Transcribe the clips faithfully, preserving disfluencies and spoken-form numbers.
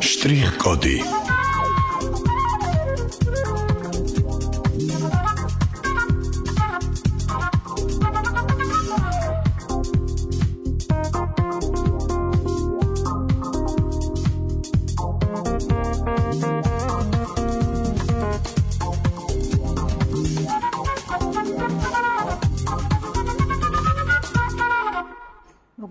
Штрих-коды.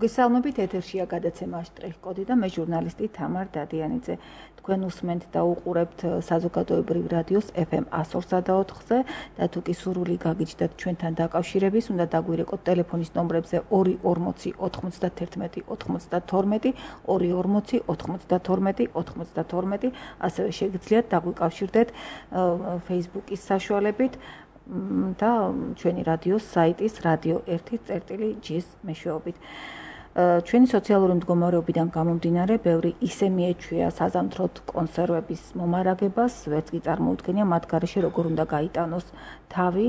მოგესალმებით, ეთერშია გადაცემა შტრიხ-კოდი და მე ჟურნალისტი თამარ დადიანიძე. თქვენ უსმენთ და უყურებთ საზოგადოებრივ რადიოს ეფ ემ εκατს ორსა და ოთხზე და თუ კი სურვილი გაგიჩნდათ ჩვენთან დაკავშირების, უნდა დაგვირეკოთ ტელეფონის ნომრებზე ორი ორმოცი ოთხმოცდათერთმეტი ოთხმოცდათორმეტი, ორი ორმოცი ოთხმოცდათორმეტი ოთხმოცდათორმეტი, ასევე შეგიძლიათ დაგვიკავშირდეთ Facebook-ის საშუალებით და ჩვენი რადიოს საიტის რადიო ერთი წერტილი ჯის მეშვეობით. ჩვენი სოციალური მდგომარეობიდან გამომდინარე, ბევრი ისე მიეჩვია საზამთროთ კონსერვების მომარაგებას, ვერც კი წარმოუდგენია მათ გარეშე როგორ უნდა გაიტანოს თავი,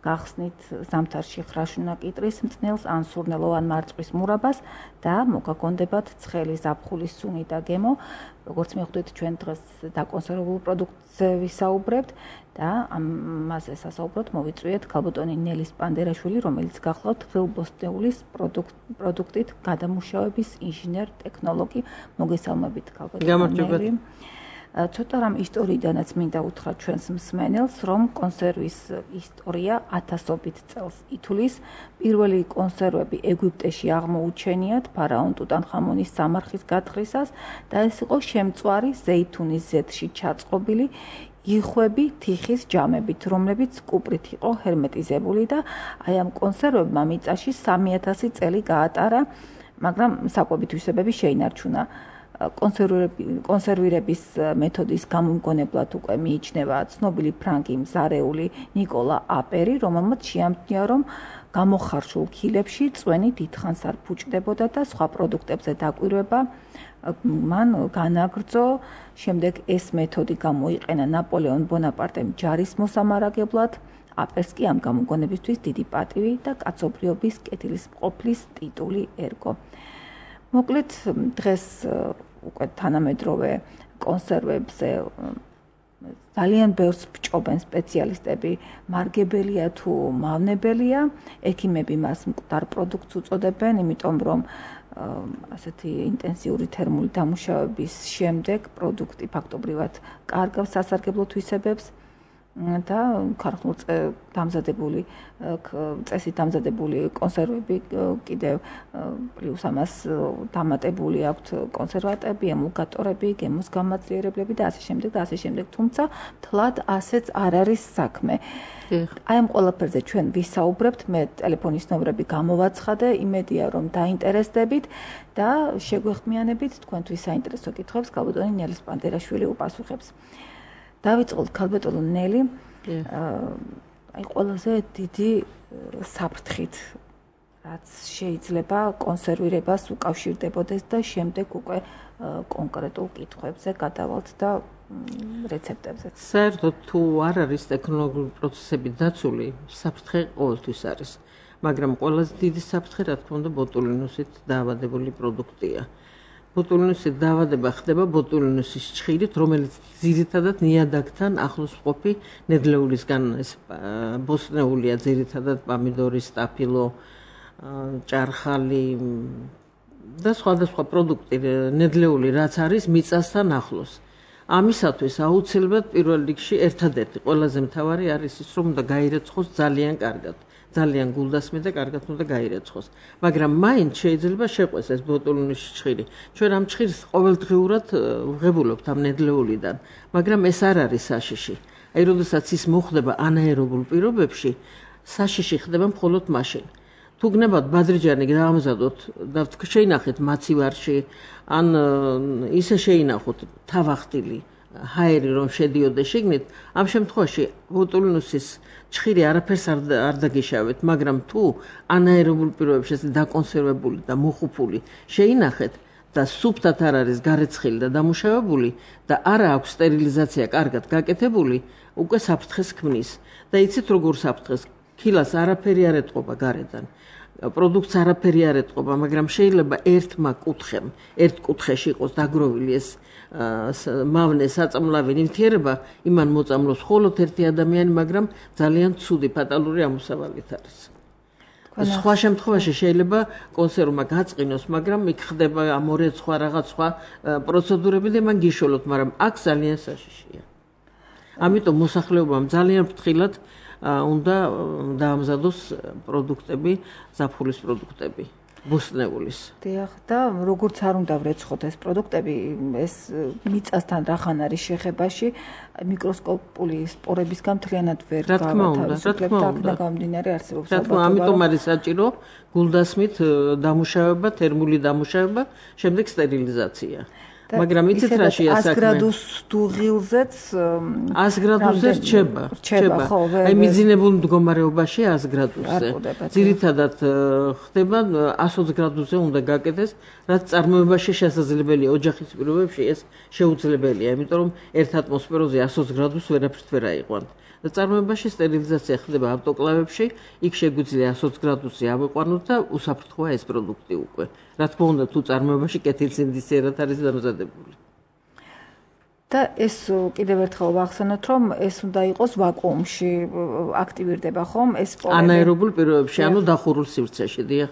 გახსნით ზამთარში ხრაშუნა კიტრის მწნელს ან სურნელოვან მარწყვის მურაბას და მოგაგონდებათ ცხელი ზაფხულის სუნი და გემო. როგორც მიხვდით, ჩვენ დღეს დაკონსერვებულ პროდუქტზე ვისაუბრებთ და ამაზე სასაუბროდ მოვიწვიეთ ქალბატონი ნელის პანდერაშვილი, რომელიც გახლავთ ხილბოსტნეულის პროდუქტით გადამუშავების ინჟინერ ტექნოლოგი. მოგესალმებით ქალბატონი ნელი. ცოტა რამ ისტორიიდანაც მინდა უთხრა ჩვენს მსმენელს, რომ კონსერვის ისტორია ათასობით წელს ითვლის. პირველი კონსერვები ეგვიპტეში აღმოუჩენიათ ფარაონ ტუტანხამონის სამარხის გათხრისას და ეს იყო შემწვარი ზეითუნის ზეთში ჩაწყობილი იხვები თიხის ჯამებით, რომლებიც კუპრით იყო ჰერმეტიზებული და აი ამ კონსერვებმა მიწაში სამი ათასი წელი გაატარა, მაგრამ საკვებით თვისებები შეინარჩუნა. კონსერვირების მეთოდის გამომგონებლად უკვე მიიჩნევა ცნობილი ფრანგი მზარეული ნიკოლა აპერი, რომელმაც შეამჩნია, რომ გამოხარშულ ქილებში წვენი დიდხანს არ ფუჭდებოდა და სხვა პროდუქტებზე დაკვირვება მან განაგრძო. შემდეგ ეს მეთოდი გამოიყენა ნაპოლეონ ბონაპარტემ ჯარის მოსამარაგებლად. აპერს კი ამ გამოგონებისთვის დიდი პატივი და კაცობრიობის კეთილმყოფლის ტიტული ერგო. მოკლედ დღეს უკვე თანამედროვე კონსერვებზე ძალიან ბევრს ბჭობენ სპეციალისტები, მარგებელია თუ მავნებელია, ექიმები მას მკვდარ პროდუქტს უწოდებენ, იმიტომ რომ ასეთი ინტენსიური თერმული დამუშავების შემდეგ პროდუქტი ფაქტობრივად კარგავს სასარგებლო თვისებებს და ქარხნულ დამზადებული წესით დამზადებული კონსერვები კიდევ პლუს ამას დამატებული აქვთ კონსერვატები, ემულგატორები, გემოს გამაძლიერებლები და ასე შემდეგ და ასე შემდეგ, თუმცა თლად ასეც არ არის საქმე. აი ამ ყველაფერზე ჩვენ ვისაუბრებთ, მე ტელეფონის ნომრები გამოვაცხადე, იმედია რომ დაინტერესდებით და შეგვეხმიანებით თქვენთვის საინტერესო კითხვებს ქალბატონი ნელის პანდერაშვილი უპასუხებს. დავიწყოთ ქალბატონო ნელი, აი ყველაზე დიდი საფრთხით, რაც შეიძლება კონსერვირებას უკავშირდებოდეს და შემდეგ უკვე კონკრეტულ კითხვებზე გადავალთ და რეცეპტებზე. საერთოდ თუ არ არის ტექნოლოგიური პროცესები დაცული, საფრთხე ყოველთვის არის, მაგრამ ყველაზე დიდი საფრთხე, რა თქმა უნდა, ბოტულინუსით დაავადებული პროდუქტია. ბოტულინუსით დაავადება ხდება ბოტულინუსის ჩხირით, რომელიც ძირითადად ნიადაგთან ახლოს მყოფი ნედლეულისგან ეს ბოსტნეულია, ძირითადად პამიდორი, სტაფილო, ჭარხალი და სხვადასხვა პროდუქტი ნედლეული რაც არის მიწასთან ახლოს. ამისათვის აუცილებლად პირველ რიგში ერთადერთი ყველაზე მთავარი არის ის, რომ უნდა გაირეცხოს ძალიან კარგად. ძალიან გულდასმე და კარგად უნდა გაირეცხოს. მაგრამ მაინც შეიძლება შეყვეს ეს ბოტულინუსის ჩხირი. ჩვენ ამ ჩხირს ყოველდღიურად ვღებულობთ ამ ნედლეულიდან, მაგრამ ეს არ არის საშიში. აი, როდესაც ის მოხდება ანაერობულ პირობებში, საშიში ხდება მხოლოდ მაშინ. თუ გნებავთ ბადრიჯანი დაამზადოთ და შეინახეთ მაცივარში, ან ისე შეინახოთ თავახტილი ჰაერი რომ შედიოდა შიგნით, ამ შემთხვევაში ბოტულინუსის ჩხირი არაფერს არ დაგიშავეთ, მაგრამ თუ ანაერობულ პირობებში დაკონსერვებული და მოხუპული შეინახეთ და სუფთად არ არის გარეცხილი და დამუშავებული და არა აქვს სტერილიზაცია კარგად გაკეთებული, უკვე საფრთხეს ქმნის. და იცით როგორ საფრთხეს? ქილას არაფერი არ ეტყობა გარედან. პროდუქტს არაფერი არ ეტყობა, მაგრამ შეიძლება ერთმა კუთხემ, ერთ კუთხეში იყოს დაგროვილი ეს მავნე საწამლავი ნივთიერება, იმან მოწამლოს მხოლოდ ერთი ადამიანი, მაგრამ ძალიან ცუდი ფატალური ამოსავალით არის. სხვა შემთხვევაში შეიძლება კონსერვმა გაწყინოს, მაგრამ იქ ხდება ამორე სხვა რაღაც სხვა პროცედურები და მან გიშოლოთ, მაგრამ აქ ძალიან საშიშია. ამიტომ მოსახლეობამ ძალიან ფრთხილად უნდა დაამზადოს პროდუქტები, ზაფხულის პროდუქტები, ბოსტნეულის. დიახ, და როგორც არ უნდა ვრეცხოთ ეს პროდუქტები, ეს მიწასთან რახან არის შეხებაში, მიკროსკოპული სპორებისგან მთლიანად ვერ გავათავისუფლებთ, და გამომდინარე არსებობს. რა თქმა უნდა, ამიტომ არის საჭირო გულდასმით დამუშავება, თერმული დამუშავება, შემდეგ სტერილიზაცია. მაგრამ იცით რა შეა საქმე? ას გრადუს დუღილზეც ას გრადუსზე რჩება. რჩება, ხო, აი მიძინებულ მდგომარეობაში ას გრადუსზე. ძირითადად ხდება ას ოცი გრადუსზე უნდა გაკეთდეს, რაც წარმოებაში შესაძლებელია ოჯახის პირობებში ეს შეუძლებელია, იმიტომ რომ ერთ ატმოსფეროზე ას ოცი გრადუსს ვერაფრით ვერ აიყვანთ. და წარმოებაში სტერილიზაცია ხდება ავტოკლავებში, იქ შეგვიძლია ას ოცი გრადუსზე ავიყვანოთ და უსაფრთხოა ეს პროდუქტი უკვე. რა თქმა უნდა, თუ წარმოებაში კეთილსინდისიერად არის დამზადებული. და ეს კიდევ ერთხელ ვახსენოთ, რომ ეს უნდა იყოს ვაკუუმში აქტივირდება ხომ ეს სპორები? ანაერობულ პირობებში, ანუ დახურულ სივრცეში, დიახ.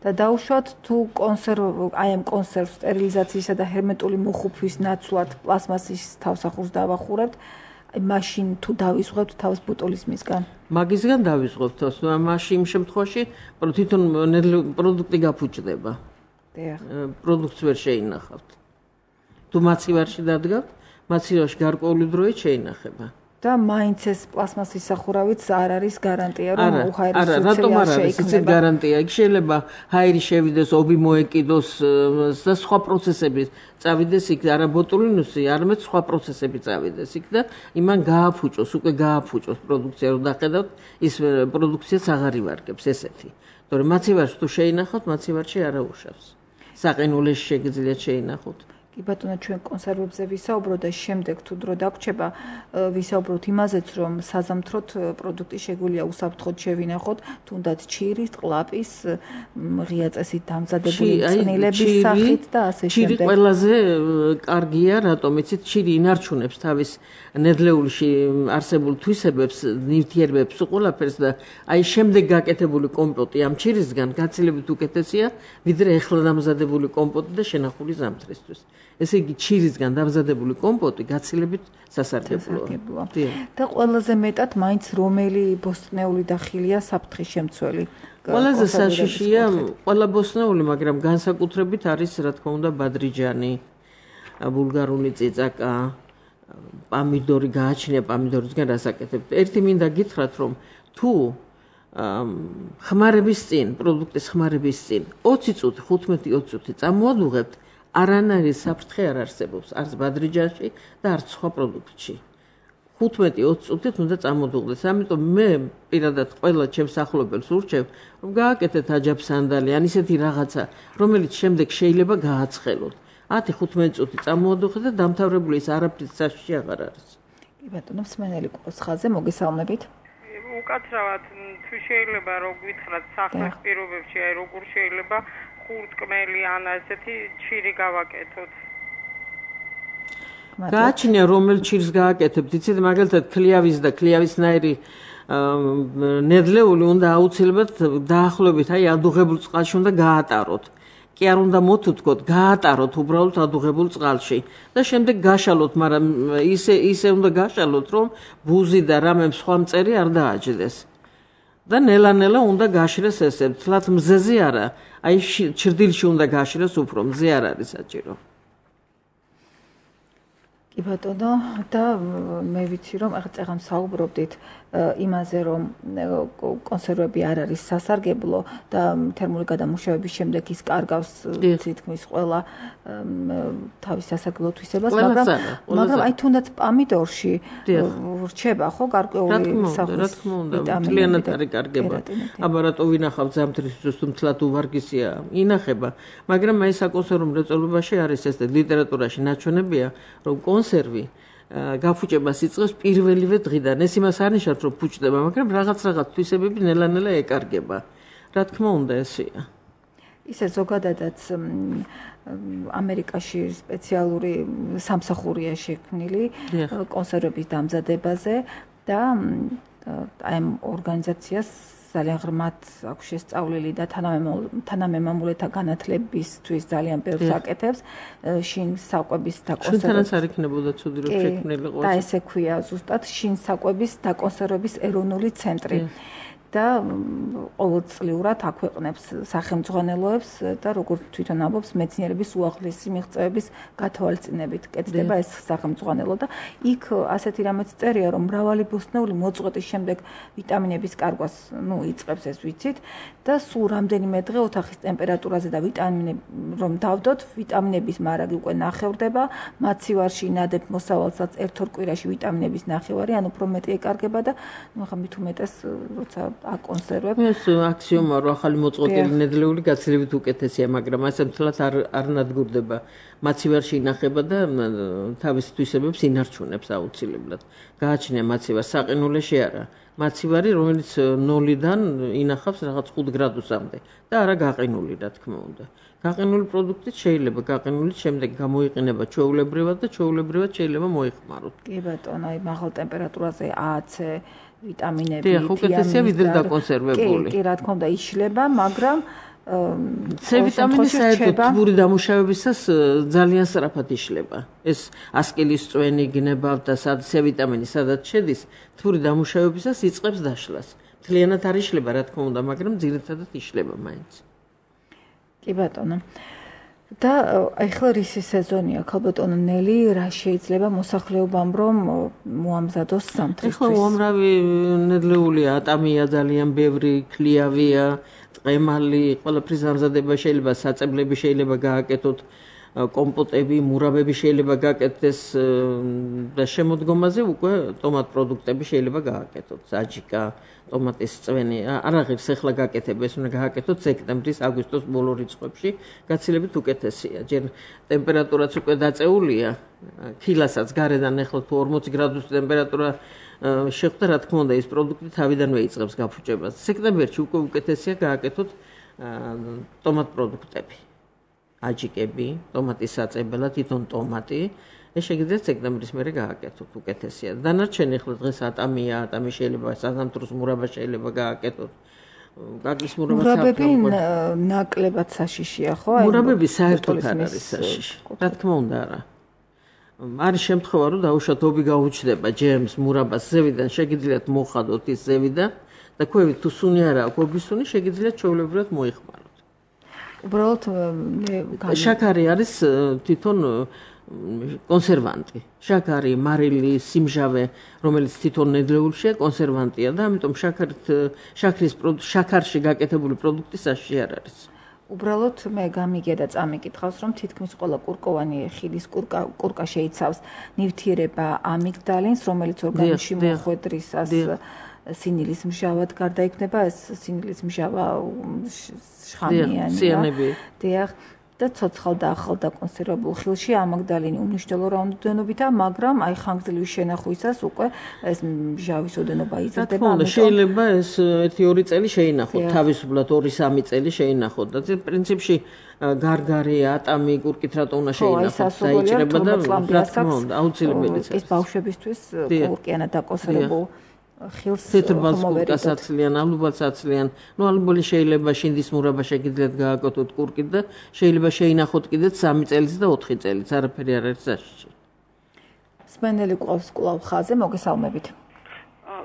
და დაუშვათ თუ კონსერვ აი ამ კონსერვ სტერილიზაციისა და ჰერმეტული მოხუფვის ნაცვლად პლასმასის თავსახურს დავახურებთ, აი მაშინ თუ დავისვღებთ თავს ბუტოლის მისგან. მაგისგან დავისვღებთ თავს, მაშინ იმ შემთხვევაში თვითონ პროდუქტი გაფუჭდება. დიახ. პროდუქტს ვერ შეინახავთ. თუ მაცივარში დადგავთ, მაცივარში გარკვეული დროით შეინახება. და მაინც ეს პლასმასის სახურავიც არ არის გარანტია, რომ უხაირი არა, რატომ არ არის იცით გარანტია? იქ შეიძლება ჰაერი შევიდეს, ობი მოეკიდოს და სხვა პროცესები წავიდეს იქ, არა ბოტულინუსი, არამედ სხვა პროცესები წავიდეს იქ და იმან გააფუჭოს, უკვე გააფუჭოს პროდუქცია, რომ დახედავთ, ის პროდუქციაც აღარ ივარგებს ესეთი. თორემ მაცივარში თუ შეინახავთ, მაცივარში არა უშავს. საყინულეში შეგიძლიათ შეინახოთ. კი ბატონო, ჩვენ კონსერვებზე ვისაუბროთ და შემდეგ თუ დრო დაგვრჩება, ვისაუბროთ იმაზეც, რომ საზამთროთ პროდუქტი შეგვიძლია უსაფრთხოდ შევინახოთ, თუნდაც ჩირის, ყლაპის, ღია წესით დამზადებული წნილების სახით და ასე შემდეგ. ჩირი ყველაზე კარგია, რატომ იცით, ჩირი ინარჩუნებს თავის ნედლეულში არსებულ თვისებებს, ნივთიერებებს, ყველაფერს და აი შემდეგ გაკეთებული კომპოტი ამ ჩირისგან გაცილებით უკეთესია, ვიდრე ეხლა დამზადებული კომპოტი და შენახული ზამთრისთვის. ესე იგი ჩირისგან დამზადებული კომპოტი გაცილებით სასარგებლოა. და ყველაზე მეტად მაინც რომელი ბოსტნეული დახილია საფრთხის შემცველი? ყველაზე საშიშია ყველა ბოსტნეული, მაგრამ განსაკუთრებით არის რა თქმა უნდა ბადრიჯანი, ბულგარული წიწაკა, პამიდორი გააჩნია, პამიდორისგან რასაკეთებთ. ერთი მინდა გითხრათ, რომ თუ ხმარების წინ, პროდუქტის ხმარების წინ ოცი წუთი, ხუთმეტი ოცი წუთი წამოადუღებთ, არანაირი საფრთხე არ არსებობს, არც ბადრიჯანში და არც სხვა პროდუქტში. ხუთმეტი ოცი წუთით უნდა წამოდუღდეს. ამიტომ მე პირადად ყველა ჩემს ახლობელს ურჩევ, რომ გააკეთეთ აჯაბსანდალი, ან ისეთი რაღაცა, რომელიც შემდეგ შეიძლება გააცხელოთ. ათი ხუთმეტი წუთი წამოადუღეთ და დამთავრებული ის არაფრის საშიში აღარ არის. კი ბატონო, მსმენელი ყურს ხაზზე, მოგესალმებით. უკაცრავად თუ შეიძლება რომ გითხრათ სახლის პირობებში, აი როგორ შეიძლება ხურტკმელი ან ასეთი ჩირი გავაკეთოთ. გააჩნია რომელ ჩირს გააკეთებთ, იცით, მაგალითად ქლიავის და ქლიავისნაირი ნედლეული უნდა აუცილებლად დაახლოებით აი ადუღებულ წყალში უნდა გაატაროთ. კი არ უნდა მოთუთქოთ, გაატაროთ უბრალოდ ადუღებულ წყალში და შემდეგ გაშალოთ, მაგრამ ისე ისე უნდა გაშალოთ, რომ ბუზი და რამე სხვა მწერი არ დააჯდეს. და ნელა-ნელა უნდა გაშრეს ესე, თლათ მზეზე არა, აი ჩრდილში უნდა გაშრეს უფრო, მზე არ არის საჭირო. კი ბატონო, და მე ვიცი რომ ახლა საუბრობდით იმაზე, რომ კონსერვები არ არის სასარგებლო და თერმული გადამუშავების შემდეგ ის კარგავს თითქმის ყველა თავის სასარგებლო თვისებას, მაგრამ მაგრამ აი თუნდაც პამიდორში რჩება ხო გარკვეული სახის ვიტამინები. მთლიანად არის კარგება. აბა რატო ვინახავთ ზამთრისთვის, თუ მთლად უვარგისია, ინახება, მაგრამ აი საკონსერვო მრეწველობაში არის ეს ლიტერატურაში ნაჩვენებია, რომ კონსერვი გაფუჭებას იწყებს პირველივე დღიდან. ეს იმას არ ნიშნავს, რომ ფუჭდება, მაგრამ რაღაც რაღაც თვისებები ნელა-ნელა ეკარგება. რა თქმა უნდა ესეა. ისე ზოგადადაც ამერიკაში სპეციალური სამსახურია შექმნილი კონსერვების დამზადებაზე და აი ამ ორგანიზაციას ძალიან ღრმად აქვს შესწავლილი და თანამემამულეთა განათლებისთვის ძალიან ბევრს აკეთებს შინ საკვების დაკონსერვების შინთანაც არ იქნებოდა ცუდი რომ შექმნილიყო და ესე ქვია ზუსტად შინ საკვების დაკონსერვების ეროვნული ცენტრი და ყოველწლიურად აქვეყნებს სახელმძღვანელოებს და როგორც თვითონ ამბობს მეცნიერების უაღრესი მიღწევების გათვალისწინებით კეთდება ეს სახელმძღვანელო და იქ ასეთი რამეც წერია რომ მრავალი ბოსტნეული მოწყვეტის შემდეგ ვიტამინების კარგვას ნუ იწყებს ეს ვიცით და სულ რამდენიმე დღე ოთახის ტემპერატურაზე და ვიტამინები რომ დავდოთ ვიტამინების მარაგი უკვე ნახევრდება მაცივარში ნადებ მოსავალსაც ერთ ორ კვირაში ვიტამინების ნახევარი ან უფრო მეტი ეკარგება და ნუ ახლა მით უმეტეს როცა აკონსერვებ. ეს აქსიომა რომ ახალი მოწყვეტილი ნედლეული გაცილებით უკეთესია, მაგრამ ასე მთლად არ არ ნადგურდება. მაცივარში ინახება და თავის თვისებებს ინარჩუნებს აუცილებლად. გააჩნია მაცივარ საყინულეში არა. მაცივარი რომელიც ნოლიდან ინახავს რაღაც ხუთ გრადუსამდე და არა გაყინული რა თქმა უნდა. გაყინული პროდუქტით შეიძლება გაყინულით შემდეგ გამოიყენება ჩვეულებრივად და ჩვეულებრივად შეიძლება მოიხმაროთ. კი ბატონო, აი მაღალ ტემპერატურაზე AC ვიტამინები, თიანები. ხო, უკეთესია ვიდრე დაკონსერვებული. კი, კი, რა თქმა უნდა, იშლება, მაგრამ C ვიტამინი საერთოდ თბური დამუშავებისას ძალიან სწრაფად იშლება. ეს ასკილის წვენი გნებავ და სად C ვიტამინი სადაც შედის, თბური დამუშავებისას იწყებს დაშლას. მთლიანად არ იშლება, რა თქმა უნდა, მაგრამ ძირითადად იშლება მაინც. კი ბატონო. და ახლა რისი სეზონია, ქალბატონო ნელი, რა შეიძლება მოსახლეობამ რომ მოამზადოს სამთრისთვის? ახლა უამრავი ნედლეულია, ატამია ძალიან ბევრი, ქლიავია, ტყემალი, ყველაფრის დამზადება შეიძლება, საწებლები შეიძლება გააკეთოთ, კომპოტები, მურაბები შეიძლება გააკეთდეს და შემოდგომაზე უკვე ტომატ პროდუქტები შეიძლება გააკეთოთ, საჯიკა, ტომატის წვენი, არაღირს ახლა გააკეთება, ეს უნდა გააკეთოთ სექტემბრის, აგვისტოს ბოლო რიცხვებში, გაცილებით უკეთესია. ჯერ ტემპერატურაც უკვე დაწეულია, ქილასაც გარედან ახლა თუ ორმოცი გრადუსი ტემპერატურა შეხვდა, რა თქმა უნდა, ეს პროდუქტი თავიდანვე იწყებს გაფუჭებას. სექტემბერში უკვე უკეთესია გააკეთოთ ტომატ პროდუქტები. აჯიკები, ტომატის საწებელად, თვითონ ტომატი, ეს შეგიძლიათ სექტემბრის მერე გააკეთოთ, უკეთესია. დანარჩენი ახლა დღეს ატამია, ატამი შეიძლება საზამთროს მურაბა შეიძლება გააკეთოთ. გაგლის მურაბა მურაბები ნაკლებად საშიშია, ხო? მურაბები საერთოდ არ არის საშიში. რა თქმა უნდა, არა. არის შემთხვევა, რომ დაუშვათ ობი გაუჩნდება ჯემს, მურაბას ზევიდან, შეგიძლიათ მოხადოთ ის ზევიდან და ქვევით თუ სუნი არა აქვს, ობის სუნი შეგიძლიათ ჩვეულებრივად მოიხმაროთ. უბრალოდ შაქარი არის თვითონ კონსერვანტი. შაქარი, მარილი, სიმჟავე, რომელიც თვითონ ნედლეულშია, კონსერვანტია და ამიტომ შაქარით შაქრის შაქარში გაკეთებული პროდუქტი საშიში არ არის. უბრალოდ მე გამიგია და წამიკითხავს, რომ თითქმის ყველა კურკოვანი ხილის კურკა კურკა შეიცავს ნივთიერება ამიგდალინს, რომელიც ორგანიზმში მოხვედრისას სინილის მჟავად გარდაიქმნება, ეს სინილის მჟავა შხამიანია. დიახ, და ცოცხალ და ახალ დაკონსერვებულ ხილში ამაგდალინი უმნიშვნელო რაოდენობითა, მაგრამ აი ხანგრძლივი შენახვისას უკვე ეს მჟავის ოდენობა იზრდება. შეიძლება ეს ერთი ორი წელი შეინახოთ, თავისუფლად ორი სამი წელი შეინახოთ და პრინციპში გარგარი, ატამი, კურკით რატო უნდა შეინახოთ, საიჭრება და რა თქმა უნდა, აუცილებელია. ეს ბავშვებისთვის კურკიანად დაკონსერვებულ ხილს თეთრბალს აცლიან, ალუბალს აცლიან. ნუ ალუბალი შეიძლება შინდის მურაბა შეგიძლიათ გააკეთოთ კურკით და შეიძლება შეინახოთ კიდეც სამი წელიც და ოთხი წელიც, არაფერი არ არის საშიში. სმენელი ყავს კვლავ ხაზე, მოგესალმებით.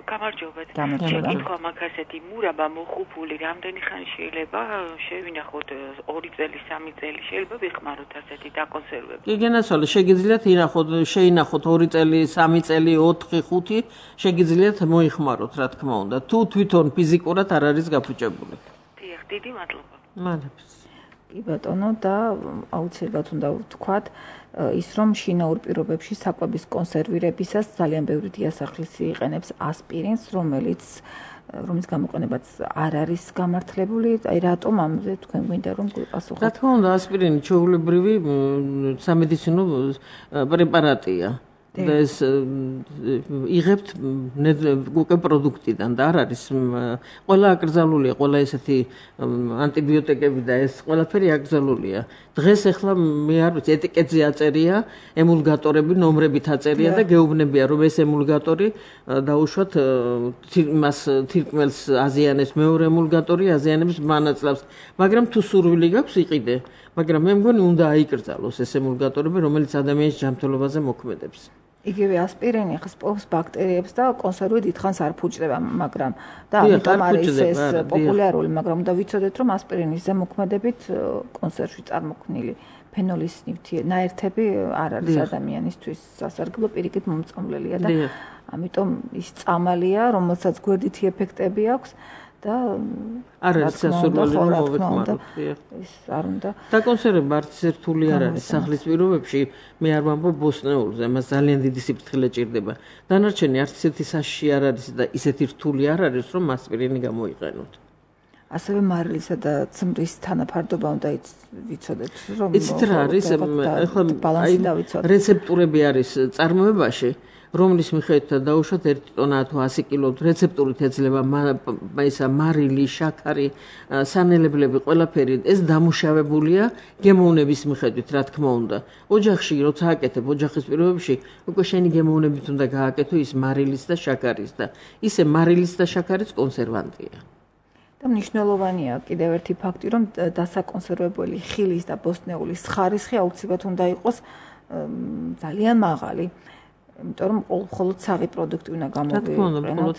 გამარჯობათ. გამარჯობა. თქვა მაგასეთი მურაბა მოხუპული რამდენი ხანი შეიძლება შევინახოთ ორი წელი, სამი წელი შეიძლება ვიხმაროთ ასეთი დაკონსერვები. კი, გენაცვალე, შეგიძლიათ ინახოთ, შეინახოთ ორი წელი, სამი წელი, ოთხი, ხუთი, შეგიძლიათ მოიხმაროთ, რა თქმა უნდა. თუ თვითონ ფიზიკურად არ არის გაფუჭებული. დიახ, დიდი მადლობა. მადლობს. კი ბატონო და აუცილებლად უნდა ვთქვათ ის რომ შინაურ პირობებში საკვების კონსერვირებისას ძალიან ბევრი დიასახლისი იყენებს ასპირინს, რომელიც რომლის გამოყენებაც არ არის გამართლებული. აი რატომ ამზე თქვენ გვინდა რომ გვიპასუხოთ? რა თქმა უნდა, ასპირინი ჩვეულებრივი სამედიცინო პრეპარატია და ეს იღებთ უკვე პროდუქტიდან და არ არის ყველა აკრძალულია, ყველა ესეთი ანტიბიოტიკები და ეს ყველაფერი აკრძალულია. დღეს ახლა მე არ ვიცი, ეტიკეტზე აწერია ემულგატორები, ნომრებით აწერია და გეუბნებია, რომ ეს ემულგატორი დაუშვათ მას თირკმელს აზიანებს, მეორე ემულგატორი აზიანებს მანაცვლავს, მაგრამ თუ სურვილი გაქვს იყიდე, მაგრამ მე მგონი უნდა აიკრძალოს ეს ემულგატორები, რომელიც ადამიანის ჯანმრთელობაზე მოქმედებს. იგივე ასპირინი ხსპობს ბაქტერიებს და კონსერვი დიდხანს არ ფუჭდება, მაგრამ და ამიტომ არის ეს პოპულარული, მაგრამ უნდა ვიცოდეთ, რომ ასპირინის ზემოქმედებით კონსერვში წარმოქმნილი ფენოლის ნაერთები არ არის ადამიანისთვის სასარგებლო, პირიქით მომწონლელია და ამიტომ ის წამალია, რომელსაც გვერდითი ეფექტები აქვს და არ არის სასურველი რომ მოვეთმაროთ. ის არ უნდა. დაკონსერვება არც ერთული არ არის სახლის პირობებში, მე არ ვამბობ ბოსტნეულზე, მას ძალიან დიდი სიფრთხილე ჭირდება. დანარჩენი არც ისეთი საშიში არ არის და ისეთი რთული არ არის, რომ ასპირინი გამოიყენოთ. ასევე მარილისა და ცმრის თანაფარდობა უნდა ვიცოდეთ, რომ იცით რა არის, ახლა რეცეპტურები არის წარმოებაში, რომლის მიხედვითაც დაუშვათ ერთი ტონა თუ ასი კილო რეცეპტურით ეძლევა ისა მარილი, შაქარი, სანელებლები, ყველაფერი ეს დამუშავებულია გემოვნების მიხედვით, რა თქმა უნდა. ოჯახში როცა აკეთებ, ოჯახის პირობებში უკვე შენი გემოვნებით უნდა გააკეთო ის მარილის და შაქარის და ისე მარილის და შაქარის კონსერვანტია. და მნიშვნელოვანია კიდევ ერთი ფაქტი, რომ დასაკონსერვებელი ხილის და ბოსტნეულის ხარისხი აუცილებლად უნდა იყოს ძალიან მაღალი. იმიტომ რომ მხოლოდ საღი პროდუქტი უნდა გამოვიყენოთ.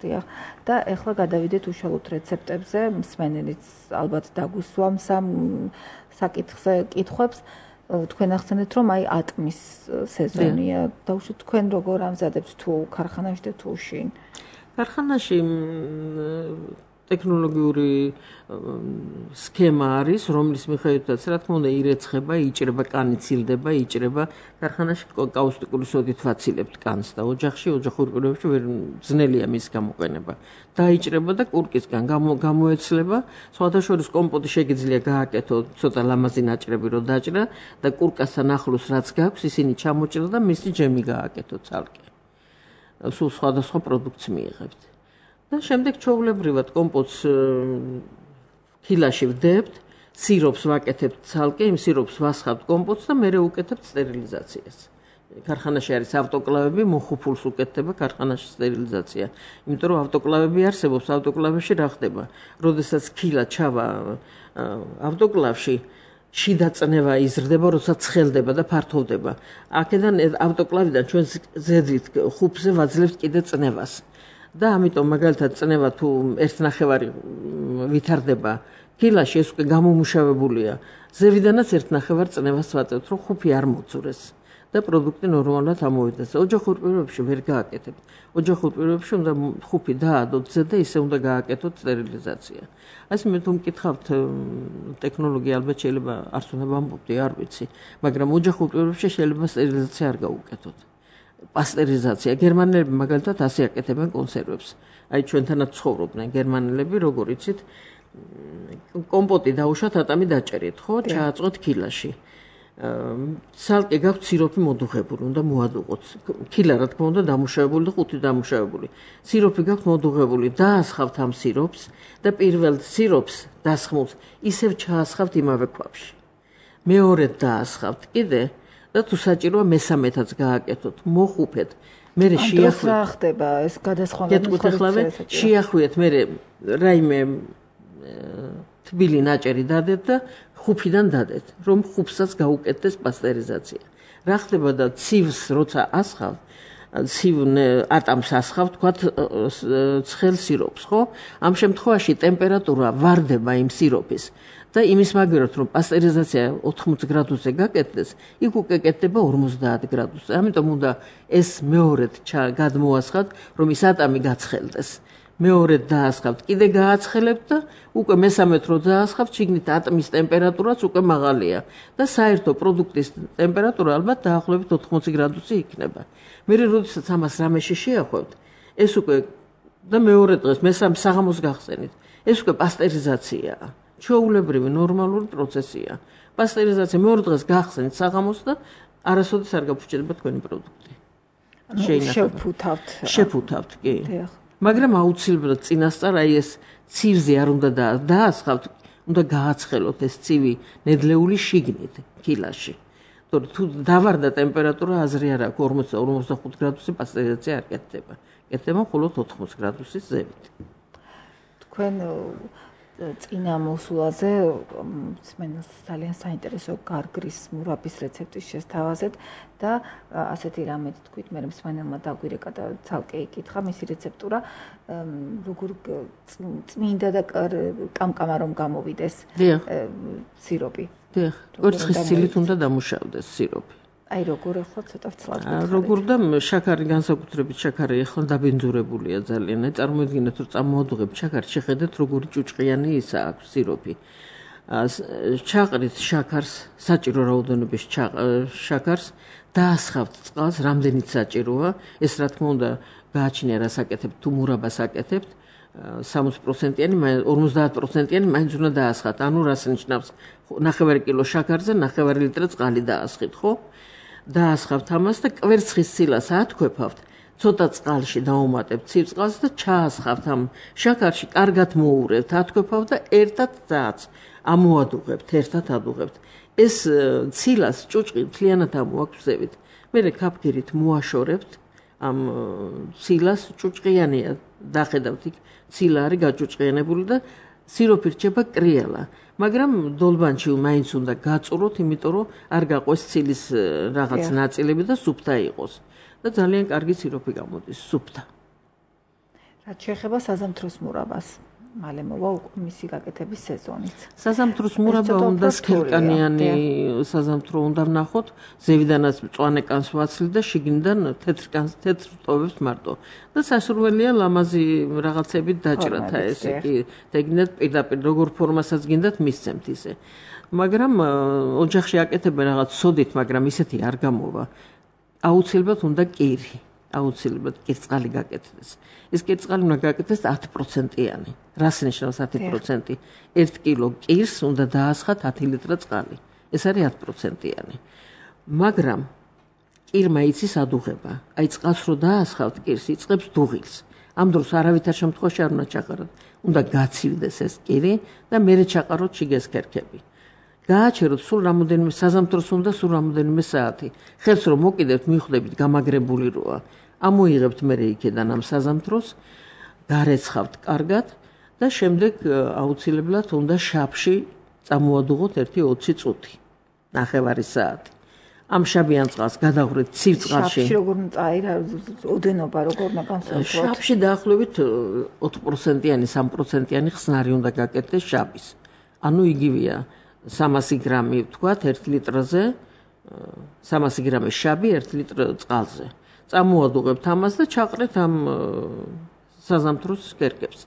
დიახ. და ეხლა გადავიდეთ უშუალოდ რეცეპტებზე, მსმენელიც ალბათ დაგვისვამს ამ საკითხზე კითხვებს. თქვენ ახსენეთ, რომ აი ატმის სეზონია. დაუშვათ თქვენ როგორ ამზადებთ თუ ქარხანაში და თუ შინ? ქარხანაში ტექნოლოგიური სქემა არის, რომლის მიხედვითაც რა თქმა უნდა ირეცხება, იჭრება, კანი ცილდება, იჭრება. ქარხანაში კაუსტიკური სოდით ვაცილებთ კანს და ოჯახში, ოჯახურ პირობებში ვერ ძნელია მის გამოყენება. დაიჭრება და კურკისგან გამოეცლება. სხვადასხვა კომპოტი შეგიძლია გააკეთო, ცოტა ლამაზი ნაჭრები რო დაჭრა და კურკასთან ახლოს რაც გაქვს, ისინი ჩამოჭრა და მისი ჯემი გააკეთო ცალკე. სულ სხვადასხვა პროდუქტს მიიღებთ. და შემდეგ ჩვეულებრივად კომპოტს ქილაში ვდებთ, სიროპს ვაკეთებთ ცალკე, იმ სიროპს ვასხავთ კომპოტს და მერე უკეთებთ სტერილიზაციას. ქარხანაში არის ავტოკლავები, მოხუფულს უკეთდება ქარხანაში სტერილიზაცია. იმიტომ რომ ავტოკლავები არსებობს, ავტოკლავებში რა ხდება? როდესაც ქილა ჩავა ავტოკლავში, შიდა წნევა იზრდება, როცა ცხელდება და ფართოვდება. აქედან ავტოკლავიდან ჩვენ ზედით ხუფზე ვაძლევთ კიდე წნევას. და ამიტომ მაგალითად წნევა თუ ერთ ნახევარი ვითარდება ქილაში, ეს უკვე გამომუშავებულია. ზევიდანაც ერთ ნახევარ წნევას ვაწევთ, რომ ხუფი არ მოძურეს და პროდუქტი ნორმალურად ამოვიდეს. ოჯახურ პირობებში ვერ გააკეთებთ. ოჯახურ პირობებში უნდა ხუფი დაადოთ ზე და ისე უნდა გააკეთოთ სტერილიზაცია. ასე მე თუ მკითხავთ ტექნოლოგია ალბათ შეიძლება არც უნდა ვამბობდი, არ ვიცი, მაგრამ ოჯახურ პირობებში შეიძლება სტერილიზაცია არ გაუკეთოთ. პასტერიზაცია. გერმანელები მაგალითად ასე აკეთებენ კონსერვებს. აი ჩვენთანაც ცხოვრობდნენ გერმანელები, როგორ იცით, კომპოტი დაუშვათ ატამი დაჭერით, ხო? ჩააწყვეთ ქილაში. ცალკე გაქვთ სიროპი მოდუღებული, უნდა მოადუღოთ. ქილა რა თქმა უნდა დამუშავებული და ხუთი დამუშავებული. სიროპი გაქვთ მოდუღებული, დაასხავთ ამ სიროპს და პირველ სიროპს დასხმულს ისევ ჩაასხავთ იმავე ქვაბში. მეორედ დაასხავთ კიდე და თუ საჭიროა მესამედაც გააკეთოთ, მოხუფეთ. მერე შეახვიეთ. რა ხდება ეს გადასხვა? შეახვიეთ, მერე რაიმე თბილი ნაჭერი დადეთ და ხუფიდან დადეთ, რომ ხუფსაც გაუკეთდეს პასტერიზაცია. რა ხდება და ცივს როცა ასხავთ, ცივ ატამს ასხავთ, თქვათ ცხელ სიროპს, ხო? ამ შემთხვევაში ტემპერატურა ვარდება იმ სიროპის. და იმის მაგერად რომ პასტერიზაცია ოთხმოცი გრადუსზე გაკეთდეს, იქ უკვე კეთდება ორმოცდაათ გრადუსზე. ამიტომ უნდა ეს მეორედ გადმოასხათ, რომ ის ატამი გაცხელდეს. მეორედ დაასხავთ, კიდე გააცხელებთ და უკვე მესამედ რო დაასხავთ, შიგნით ატმის ტემპერატურაც უკვე მაღალია და საერთო პროდუქტის ტემპერატურა ალბათ დაახლოებით ოთხმოცი გრადუსი იქნება. მე როდესაც ამას რამეში შეახვევთ, ეს უკვე და მეორე დღეს მესამე საღამოს გახსენით. ეს უკვე პასტერიზაციაა. ჩვეულებრივი ნორმალური პროცესია. პასტერიზაცია მეორე დღეს გახსენით საღამოს და არასოდეს არ გაფუჭდება თქვენი პროდუქტი. შეინახება. შევფუთავთ. შევფუთავთ, კი. მაგრამ აუცილებლად წინასწარ აი ეს ცივზე არ უნდა დაასხავთ, უნდა გააცხელოთ ეს ცივი ნედლეული შიგნით კილაში. თორე თუ დავარდა ტემპერატურა აზრი არ აქვს ორმოც ორმოცდახუთ გრადუსი პასტერიზაცია არ კეთდება. კეთდება მხოლოდ ოთხმოცი გრადუსის ზევით. თქვენ წინა მოსულაზე მსმენელს ძალიან საინტერესო გარგრის მურაბის რეცეპტის შესთავაზეთ და ასეთი რამეთ თქვით, მე მსმენელმა დაგვირეკა და ცალკე იკითხა მისი რეცეპტურა, როგორ წმინდა და კამკამა რომ გამოვიდეს სიროპი. დიახ, კვერცხის ცილით უნდა დამუშავდეს სიროპი. აი როგორ ახლა ცოტა ვცლად როგორ და შაქარი განსაკუთრებით შაქარი ახლა დაბინძურებულია ძალიან. აი წარმოიდგინეთ რომ წამოადუღებთ შაქარს, შეხედეთ როგორი ჭუჭყიანი ისა აქვს სიროპი. ჩაყრით შაქარს, საჭირო რაოდენობის შაქარს, დაასხავთ წყალს, რამდენიც საჭიროა. ეს რა თქმა უნდა გააჩნია რას აკეთებთ, თუ მურაბას აკეთებთ. სამოცი პროცენტიანი, ორმოცდაათ პროცენტიანი მაინც უნდა დაასხათ. ანუ რას ნიშნავს? ნახევარი კილო შაქარზე ნახევარი ლიტრი წყალი დაასხით, ხო? დაასხავთ ამას და კვერცხის ცილას ათქვეფავთ, ცოტა წყალში დაუმატებთ ცივ წყალს და ჩაასხავთ ამ შაქარში, კარგად მოურევთ, ათქვეფავთ და ერთად ძაც ამოადუღებთ, ერთად ადუღებთ. ეს ცილას ჭუჭყი მთლიანად ამოაქვსებით. მერე კაფგირით მოაშორებთ ამ ცილას, ჭუჭყიანია, დახედავთ იქ ცილა არის გაჭუჭყიანებული და სიროპი რჩება კრიალა. მაგრამ დოლბანში მაინც უნდა გაწუროთ, იმიტომ რომ არ გაყვეს ცილის რაღაც ნაწილები და სუფთა იყოს. და ძალიან კარგი სიროპი გამოდის სუფთა. რაც შეეხება საზამთროს მურაბას, მალე მოვა მისი გაკეთების სეზონიც. საზამთროს მურაბა უნდა სქელკანიანი საზამთრო უნდა ვნახოთ, ზევიდანაც მწვანე კანს ვაცლით და შიგნიდან თეთრ კანს თეთრ ტოვებთ მარტო. და სასურველია ლამაზი რაღაცებით დაჭრათ ესე კი, დეგნეთ პირდაპირ როგორ ფორმასაც გინდათ მისცემთ ისე. მაგრამ ოჯახში აკეთებენ რაღაც სოდით, მაგრამ ისეთი არ გამოვა. აუცილებლად უნდა კირი. აუცილებლად კირწყალი გაკეთდეს. ეს კირწყალი უნდა გაკეთდეს ათი პროცენტიანი. რას ნიშნავს ათი პროცენტი? ერთ კილო კირს უნდა დაასხათ ათი ლიტრი წყალი. ეს არის ათი პროცენტიანი. მაგრამ კირმა იცის ადუღება. აი წყალს რო დაასხავთ კირს, იწყებს დუღილს. ამ დროს არავითარ შემთხვევაში არ უნდა ჩაყაროთ. უნდა გაცივდეს ეს კირი და მერე ჩაყაროთ შიგეს ქერქები. გააჩეროთ სულ რამოდენიმე საზამთროს უნდა სულ რამოდენიმე საათი. ხელს რომ მოკიდებთ, მიხვდებით გამაგრებული როა. ამოიღებთ მერე იქიდან ამ საზამთროს, გარეცხავთ კარგად და შემდეგ აუცილებლად უნდა შაბში წამოადუღოთ ერთი ოცი წუთი, ნახევარი საათი. ამ შაბიან წყალს გადაღვრით ცივ წყალში. შაბში როგორ წაირა ოდენობა როგორ უნდა განსაკუთრებით? შაბში დაახლოებით ოთხ პროცენტიანი, სამ პროცენტიანი ხსნარი უნდა გაკეთდეს შაბის. ანუ იგივეა სამასი გრამი ვთქვათ ერთ ლიტრზე, სამასი გრამი შაბი ერთ ლიტრ წყალზე. წამოადუღებთ ამას და ჩაყრეთ ამ საზამთროს კერკებს.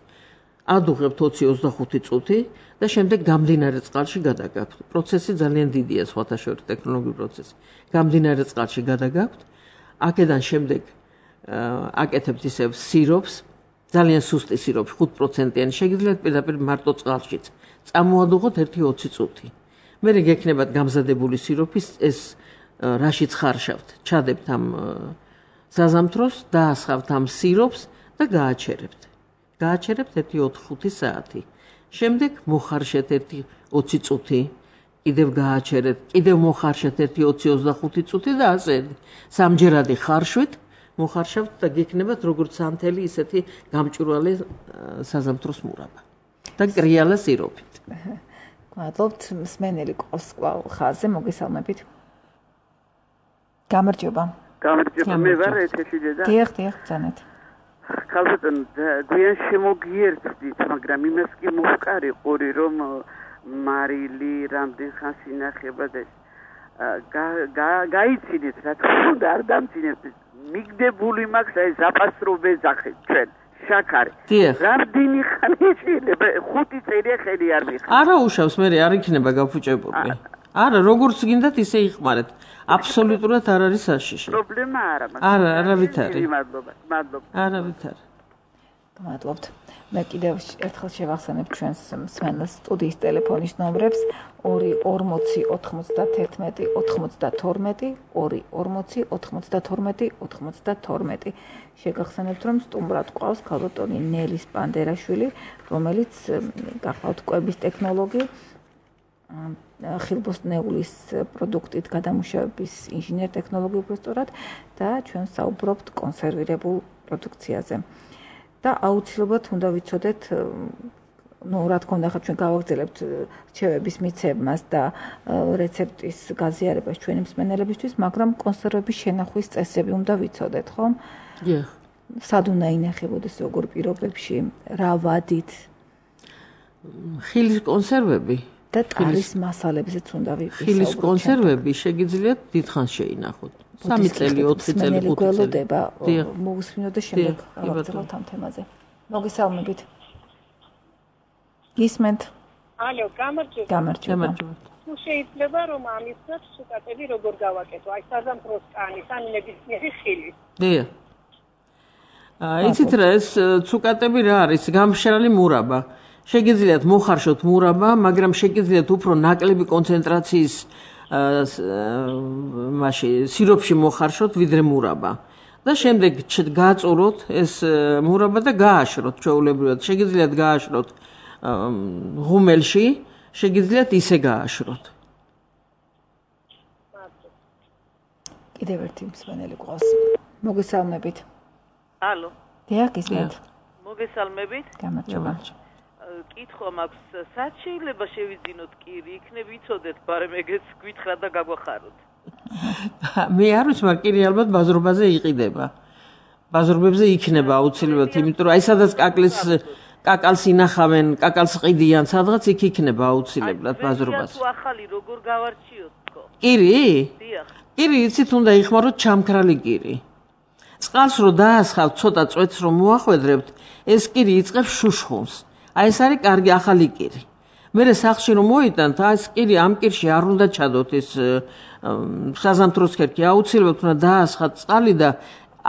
ადუღებთ ოცი ოცდახუთი წუთი და შემდეგ გამდინარე წყალში გადაგაქვთ. პროცესი ძალიან დიდია, სხვათა შორის ტექნოლოგიური პროცესი. გამდინარე წყალში გადაგაქვთ. აქედან შემდეგ აკეთებთ ისევ სიროპს, ძალიან სუსტი სიროპი, ხუთ პროცენტიანი, შეგიძლიათ პირდაპირ მარტო წყალშიც. წამოადუღოთ ერთი ოცი წუთი. მერე გექნებათ გამზადებული სიროპის ეს რაშიც ხარშავთ. ჩადებთ ამ საზამთროს, დაასხავთ ამ სიროპს და გააჩერებთ. გააჩერებთ ერთი ოთხ ხუთი საათი. შემდეგ მოხარშეთ ერთი ოცი წუთი, კიდევ გააჩერეთ, კიდევ მოხარშეთ ერთი ოცი ოცდახუთი წუთი და ასე სამჯერადი ხარშვით მოხარშავთ და გექნებათ როგორც სანთელი ისეთი გამჭვირვალე საზამთროს მურაბა და კრიალა სიროპით. მადლობთ, მსმენელი ყავს კვლავ ხაზზე, მოგესალმებით. გამარჯობა. გამარჯობა, მე ვარ ეთერში და დიახ, დიახ, ბრძანეთ. ხალხთან გვიან შემოგიერთდით, მაგრამ იმას კი მოვკარი ყური, რომ მარილი რამდენ ხანს ინახება და გაიცინეთ, რა თქმა უნდა, არ დამძინეთ. მიგდებული მაქვს აი ზაფასრო ვეძახეთ ჩვენ. შაქარი. რამდენი ხანი შეიძლება? ხუთი წერია ხელი არ მიხარ. არა უშავს, მე არ იქნება გაფუჭებული. არა, როგორც გინდათ ისე იხმარეთ. აბსოლუტურად არ არის საშიში. პრობლემა არა, მაგრამ არა, არავით არის. მადლობა, მადლობა. არავით არის. გმადლობთ. მე კიდევ ერთხელ შევახსენებ ჩვენს მსმენელს სტუდიის ტელეფონის ნომრებს ორი ორმოცი ოთხმოცდათერთმეტი ოთხმოცდათორმეტი ორი ორმოცი ოთხმოცდათორმეტი ოთხმოცდათორმეტი. შეგახსენებთ, რომ სტუმრად ყავს ქალბატონი ნელის პანდერაშვილი, რომელიც გახლავთ კვების ტექნოლოგი, ხილბოსტნეულის პროდუქტით გადამუშავების ინჟინერ-ტექნოლოგი უბრალოდ და ჩვენ საუბრობთ კონსერვირებულ პროდუქციაზე. და აუცილებლად უნდა ვიცოდეთ, ну, რა თქმა უნდა, ხა ჩვენ გავაგრძელებთ რჩევების მიცემას და რეცეპტის გაზიარებას ჩვენი მსმენელებისთვის, მაგრამ კონსერვების შენახვის წესები უნდა ვიცოდეთ, ხო? დიახ. სად უნდა ინახებოდეს როგორ პირობებში, რა ვადით? ხილის კონსერვები და ტარის მასალებზეც უნდა ვიყიდოთ. ხილის კონსერვები შეგიძლიათ დიდხანს შეინახოთ. სამი წელი, ოთხი წელი, ხუთი წელი. მოგусმინოთ და შემდეგ გავაგრძელებთ ამ თემაზე. მოგესალმებით. გისმენთ? ალო, გამარჯობა. გამარჯობა. თუ შეიძლება რომ ამისგან სუკატები როგორ გავაკეთო? აი საზამთროს კანის, ან ნებისმიერი ხილი. დიახ. იცით რა ეს სუკატები რა არის? გამშრალი მურაბა. შეგიძლიათ მოხარშოთ მურაბა, მაგრამ შეგიძლიათ უფრო ნაკლები კონცენტრაციის მასში სიროფში მოხარშოთ ვიდრე მურაბა. და შემდეგ გააწუროთ ეს მურაბა და გააშროთ ჩვეულებრივად. შეგიძლიათ გააშროთ ღუმელში, შეგიძლიათ ისე გააშროთ. კიდევ ერთი მსმენელი ყავს. მოგესალმებით. ალო. დიახ, გისმენთ. მოგესალმებით. გამარჯობა. კითხვა მაქვს, სად შეიძლება შევიძინოთ კირი, იქნებ იცოდეთ, ბარემ ეგეც გვითხრა და გაგვახაროთ. მე არ ვიცი, მაგრამ კირი ალბათ ბაზრობაზე იყიდება. ბაზრობებზე იქნება აუცილებლად, იმიტომ რომ აი სადაც კაკლის კაკალს ინახავენ, კაკალს ყიდიან, სადღაც იქ იქნება აუცილებლად ბაზრობაზე. თუ ახალი როგორ გავარჩიოთ თქო? კირი? დიახ. კირი იცით უნდა იხმაროთ ჩამქრალი კირი. წყალს რო დაასხავთ, ცოტა წვეთს რო მოახვედრებთ, ეს კირი იწყებს შუშხუნს. აი ეს არის კარგი ახალი კირი. მერე სახლში რომ მოიტანთ, აი ეს კირი ამ კირში არ უნდა ჩადოთ ეს საზამთროს ქერქი, აუცილებლად უნდა დაასხათ წყალი და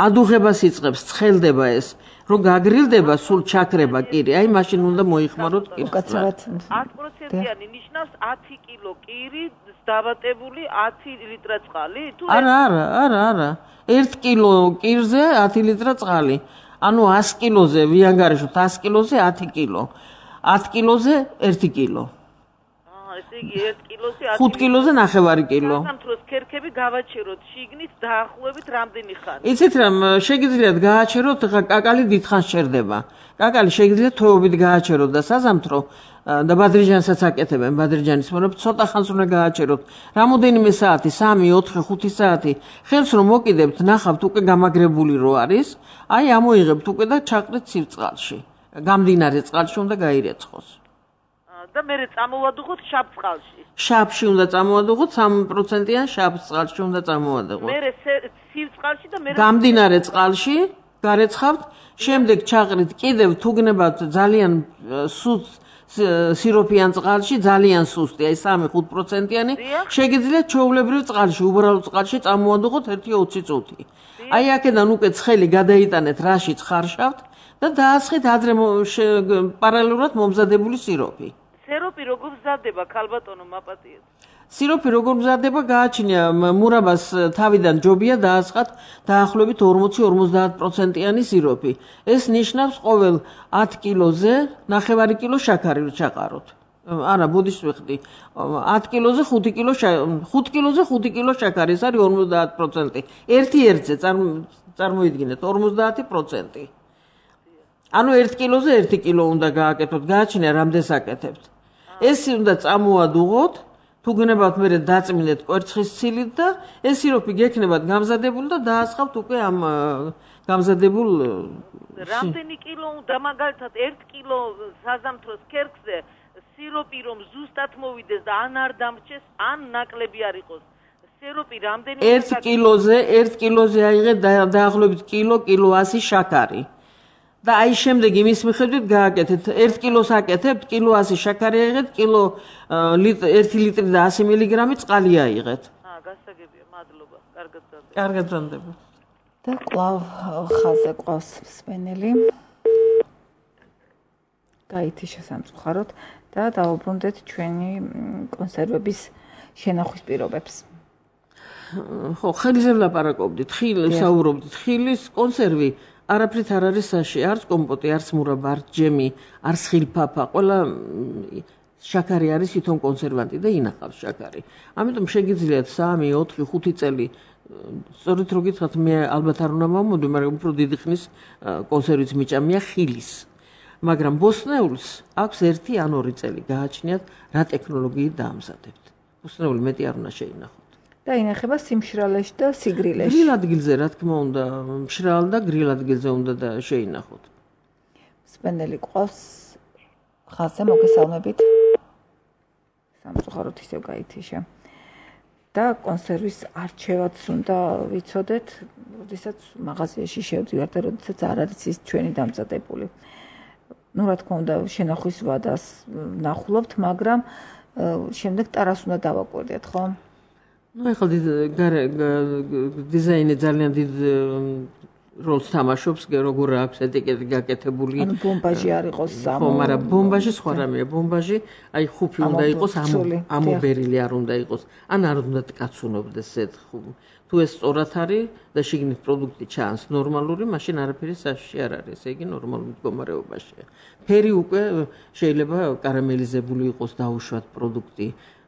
ადუღებას იწყებს, ცხელდება ეს. რომ გაგრილდება სულ ჩაქრება კირი, აი მაშინ უნდა მოიხმაროთ კირი. უკაცრავად ათი პროცენტიანი ნიშნავს ათი კილო კირი დავატებული ათი ლიტრა წყალი? თუ არა, არა, არა, არა. ერთი კილო კირზე ათი ლიტრა წყალი. ანუ ასი კილოზე ვიანგარიშოთ ასი კილოზე ათი კილო. ათი კილოზე ერთი კილო. აა, ესე იგი ერთი კილოზე ხუთი კილოზე ნახევარი კილო. სამთროს ქერქები გავაჩეროთ შიგნით დაახლოებით რამდენი ხანი? იცით რა, შეგიძლიათ გააჩეროთ, ხა კაკალი დიდხანს ჩერდება. კაკალი შეგიძლიათ თვეობით გააჩეროთ და საზამთრო და ბადრიჯანსაც აკეთებენ, ბადრიჯანის მონებ ცოტა ხანს უნდა გააჩეროთ. რამოდენიმე საათი, სამი, ოთხი, ხუთი საათი. ხელს რომ მოკიდებთ, ნახავთ უკვე გამაგრებული რო არის, აი ამოიღებთ უკვე და ჩაყრით ცივ-წყალში. გამდინარე წყალში უნდა გაირეცხოს. და მე წამოვადუღოთ შავ წყალში. შავში უნდა წამოვადუღოთ, სამი პროცენტიან შავ წყალში უნდა წამოვადუღოთ. მე ცივ წყალში და მე გამდინარე წყალში გარეცხავთ, შემდეგ ჩაყრით კიდევ თუ გნებავთ ძალიან სუსტ სიროფიან წყალში, ძალიან სუსტი, აი სამი ხუთი პროცენტიანი, შეგიძლიათ ჩვეულებრივ წყალში, უბრალოდ წყალში წამოვადუღოთ ერთი ოცი წუთი. აი აქედან უკვე ცხელი გადაიტანეთ რაშიც ხარშავთ და დაასხით ადრე პარალელურად მომზადებული სიროფი. სიროფი როგორ მზადდება, ქალბატონო, მაპატიეთ? სიროფი როგორ მზადდება, გააჩნია მურაბას თავიდან ჯობია დაასხათ დაახლოებით ორმოცი ორმოცდაათ პროცენტიანი სიროფი. ეს ნიშნავს ყოველ ათი კილოზე ნახევარი კილო შაქარი ჩაყაროთ. არა, ბოდიშს ვიხდი. ათი კილოზე ხუთი კილო ხუთი კილოზე ხუთი კილო შაქარი, ეს არის ორმოცდაათ პროცენტი. ერთი ერთზე წარმოიდგინეთ ორმოცდაათი პროცენტი. ანუ ერთი კილოზე ერთი კილო უნდა გააკეთოთ, გააჩნია რამდენს აკეთებთ. ეს უნდა წამოადუღოთ, თუ გნებავთ მე დაწმინდეთ კვერცხის ცილით და ეს სიროფი გექნებათ გამზადებული და დაასხავთ უკვე ამ გამზადებულ რამდენი კილო უნდა მაგალითად ერთი კილო საზამთროს ქერქზე სიროპი რომ ზუსტად მოვიდეს და ან არ დამრჩეს, ან ნაკლები არ იყოს. სიროპი რამდენი ერთი კილოზე, ერთი კილოზე აიღეთ დაახლოებით კილო, კილო ასი შაქარი. და აი შემდეგ იმის მიხედვით გააკეთეთ, ერთ კილოს აკეთებთ, კილო ასი შაქარი აიღეთ, კილო ერთი ლიტრი და ასი მილიგრამი წყალი აიღეთ. აა, გასაგებია, მადლობა. კარგად ბრუნდება. კარგად ბრუნდება. და კვლავ ხაზე ყავს მსმენელი. გაითიშა სამწუხაროდ და დავუბრუნდეთ ჩვენი კონსერვების შენახვის პირობებს. ხო, ხელზე ვლაპარაკობდით, ხილს საუბრობდით, ხილის კონსერვი არაფრით არ არის საში, არც კომპოტი, არც მურაბა, არც ჯემი, არც ხილფაფა, ყველა შაქარი არის თვითონ კონსერვანტი და ინახავს შაქარი. ამიტომ შეგიძლიათ სამი, ოთხი, ხუთი წელი სწორედ რო გითხრათ, მე ალბათ არ უნდა მოვმოდი, მაგრამ უფრო დიდი ხნის კონსერვიც მიჭამია ხილის. მაგრამ ბოსტნეულს აქვს ერთი ან ორი წელი გააჩნიათ, რა ტექნოლოგიით დაამზადებთ. ბოსტნეული მეტი არ უნდა შეინახოთ. და ინახება სიმშრალეში და სიგრილეში. გრილ ადგილზე, რა თქმა უნდა, მშრალ და გრილ ადგილზე უნდა და შეინახოთ. სპენდელი ყავს ხაზზე მოგესალმებით. სამწუხაროდ ისევ გაითიშა. და კონსერვის არჩევაც უნდა ვიცოდეთ, როდესაც მაღაზიაში შევდივართ და როდესაც არ არის ის ჩვენი დამზადებული. ну, რა თქმა უნდა, შენახვის ვადას ნახულობთ, მაგრამ შემდეგ ტარას უნდა დავაკვირდეთ, ხო? ну, ეხლა დიზაინი ძალიან დიდ როლს თამაშობს, როგორ აქვს ეტიკეტი გაკეთებული. ანუ ბომბაჟი არ იყოს სამო. ხო, მაგრამ ბომბაჟი სხვა რამეა. ბომბაჟი აი ხუფი უნდა იყოს, ამობერილი არ უნდა იყოს. ან არ უნდა ткаცუნობდეს ზედ. თუ ეს სწორად არის და შიგნით პროდუქტი ჩანს ნორმალური, მაშინ არაფერი საშიში არ არის. ესე იგი ნორმალურ მდგომარეობაშია. ფერი უკვე შეიძლება კარამელიზებული იყოს, დაუშვათ პროდუქტი.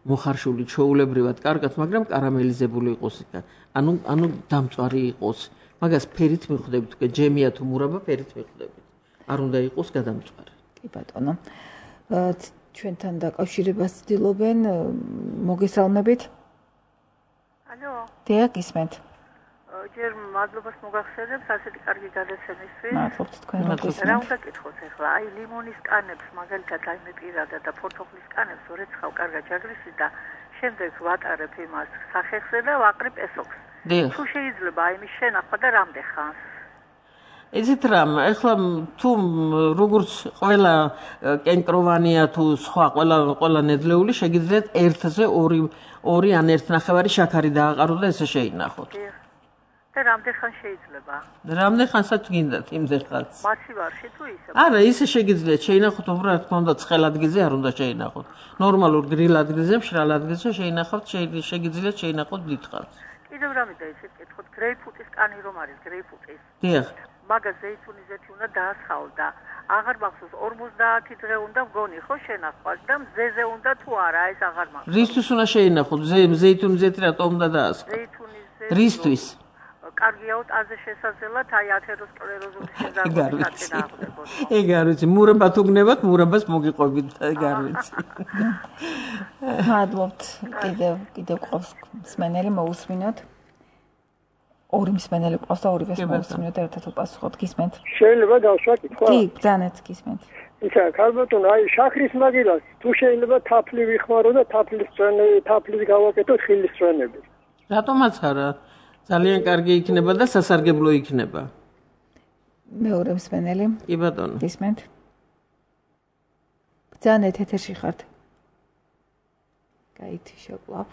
მოხარშული ჩოულებრივად კარგად, მაგრამ კარამელიზებული იყოს. ანუ ანუ დამწვარი იყოს. მაგას ფერით მიხვდებით, უკვე ჯემია თუ მურაბა ფერით მიხვდებით. არ უნდა იყოს გადამწვარი. კი ბატონო. ჩვენთან დაკავშირებას ვცდილობენ, მოგესალმებით. ალო. დიახ, გისმენთ. ჯერ მადლობას მოგახსენებთ, ასეთი კარგი გადაცემისთვის. მადლობთ თქვენ როგორც. რა უნდა გითხოთ ახლა? აი ლიმონის კანებს, მაგალითად აი მე პირადად და ფორთოხლის კანებს ვერეცხავ კარგად ჯაგრისი და შემდეგ ვატარებ იმას სახეხზე და ვაყრებ ესოქს. თუ შეიძლება აი მის შენახვა და რამდენ ხანს? იცით რა, ეხლა თუ როგორც ყველა კენკროვანია თუ სხვა ყველა ყველა ნედლეული შეგიძლიათ ერთზე ორი ორი ან ერთნახევარი შაქარი დააყარო და ესე შეინახოთ. და რამდენ ხან შეიძლება? რამდენ ხანსაც გინდათ იმდენ ხანს? მასივარში თუ ისე? არა, ისე შეგიძლიათ შეინახოთ, უბრალოდ რა თქმა უნდა ცხელ ადგილზე არ უნდა შეინახოთ. ნორმალურ გრილ ადგილზე, მშრალ ადგილზე შეინახავთ, შეგიძლიათ შეინახოთ დიდ ხანს. კიდევ რამე და ისე გითხოთ, გრეიპფრუტის კანი რომ არის, გრეიპფრუტის. დიახ. მაგას ზეითუნის ზეთი უნდა დაასხავ და აღარ მახსოვს ორმოცდაათი დღე უნდა მგონი ხო შენახვას და მზეზე უნდა თუ არა, ეს აღარ მახსოვს. რისთვის უნდა შეინახოთ? ზეითუნის ზეთი რატომ უნდა დაასხავ? ზეითუნის ზეთი. რისთვის? კარგია უტაზე შესაძლებლად აი ათეროსკლეროზული შეზარდუხი დაახდებოდა. ეგ არ ვიცი, მურაბა თუ გნებათ, მურაბას მოგიყვებით, ეგ არ ვიცი. მადლობთ. კიდევ კიდევ ყავს მსმენელი მოусმინოთ. ორი მსმენელი ყავს და ორივეს მოусმინოთ ერთად უპასუხოთ. გისმენთ? შეიძლება დავსვა კითხვა? კი, ბრძანეთ, გისმენთ. ისა, ქალბატონო, აი შაქრის მაგილას თუ შეიძლება თაფლი ვიხმარო და თაფლის წვენე, თაფლის გავაკეთო ხილის წვენები. რატომაც არა? ძალიან კარგი იქნება და სასარგებლო იქნება. მეორე მსმენელი. კი ბატონო. გისმენთ? ბრძანეთ, ეთერში ხართ. გაითიშა კვლავ.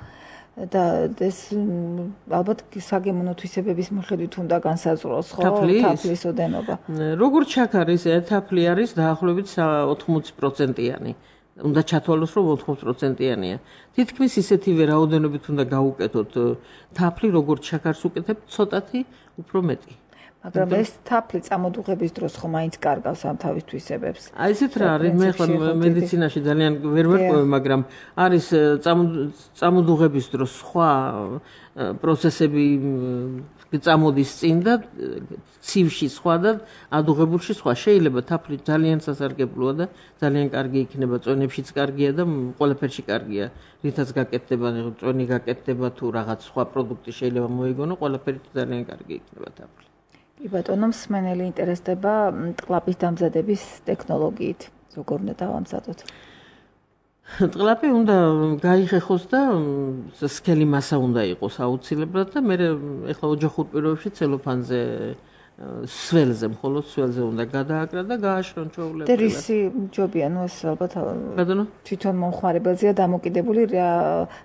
და ეს ალბათ საგემოვნო თვისებების მიხედვით უნდა განსაზღვროს, ხო? თაფლის ოდენობა. როგორც შაქარი, ესე თაფლი არის დაახლოებით ოთხმოცი პროცენტიანი. უნდა ჩათვალოს, რომ ოთხმოცი პროცენტიანია. თითქმის ისეთივე რაოდენობით უნდა გაუკეთოთ თაფლი, როგორც შაქარს უკეთებთ, ცოტათი უფრო მეტი. მაგრამ ეს თაფლი წამოდუღების დროს ხო მაინც კარგავს ამ თავის თვისებებს. აი ესეთ რა არის, მე ხომ მედიცინაში ძალიან ვერ ვერკვევი, მაგრამ არის წამოდუღების დროს სხვა პროცესები წამოდის წინ და ცივში სხვა და ადუღებულში სხვა. შეიძლება თაფლი ძალიან სასარგებლოა და ძალიან კარგი იქნება, წვენებშიც კარგია და ყველაფერში კარგია. რითაც გაკეთდება, წვენი გაკეთდება თუ რაღაც სხვა პროდუქტი შეიძლება მოიგონო, ყველაფერი ძალიან კარგი იქნება თაფლი. კი ბატონო, მსმენელი ინტერესდება ტყლაპის დამზადების ტექნოლოგიით. როგორ უნდა დავამზადოთ? ტყლაპი უნდა გაიხეხოს და სქელი მასა უნდა იყოს აუცილებლად და მე ეხლა ოჯახურ პირობებში ცელოფანზე სველზე, მხოლოდ სველზე უნდა გადააკრა და გააშრონ ჩვეულებრივად. და რისი ჯობია, ნუ ეს ალბათ თვითონ მომხმარებელზეა დამოკიდებული რა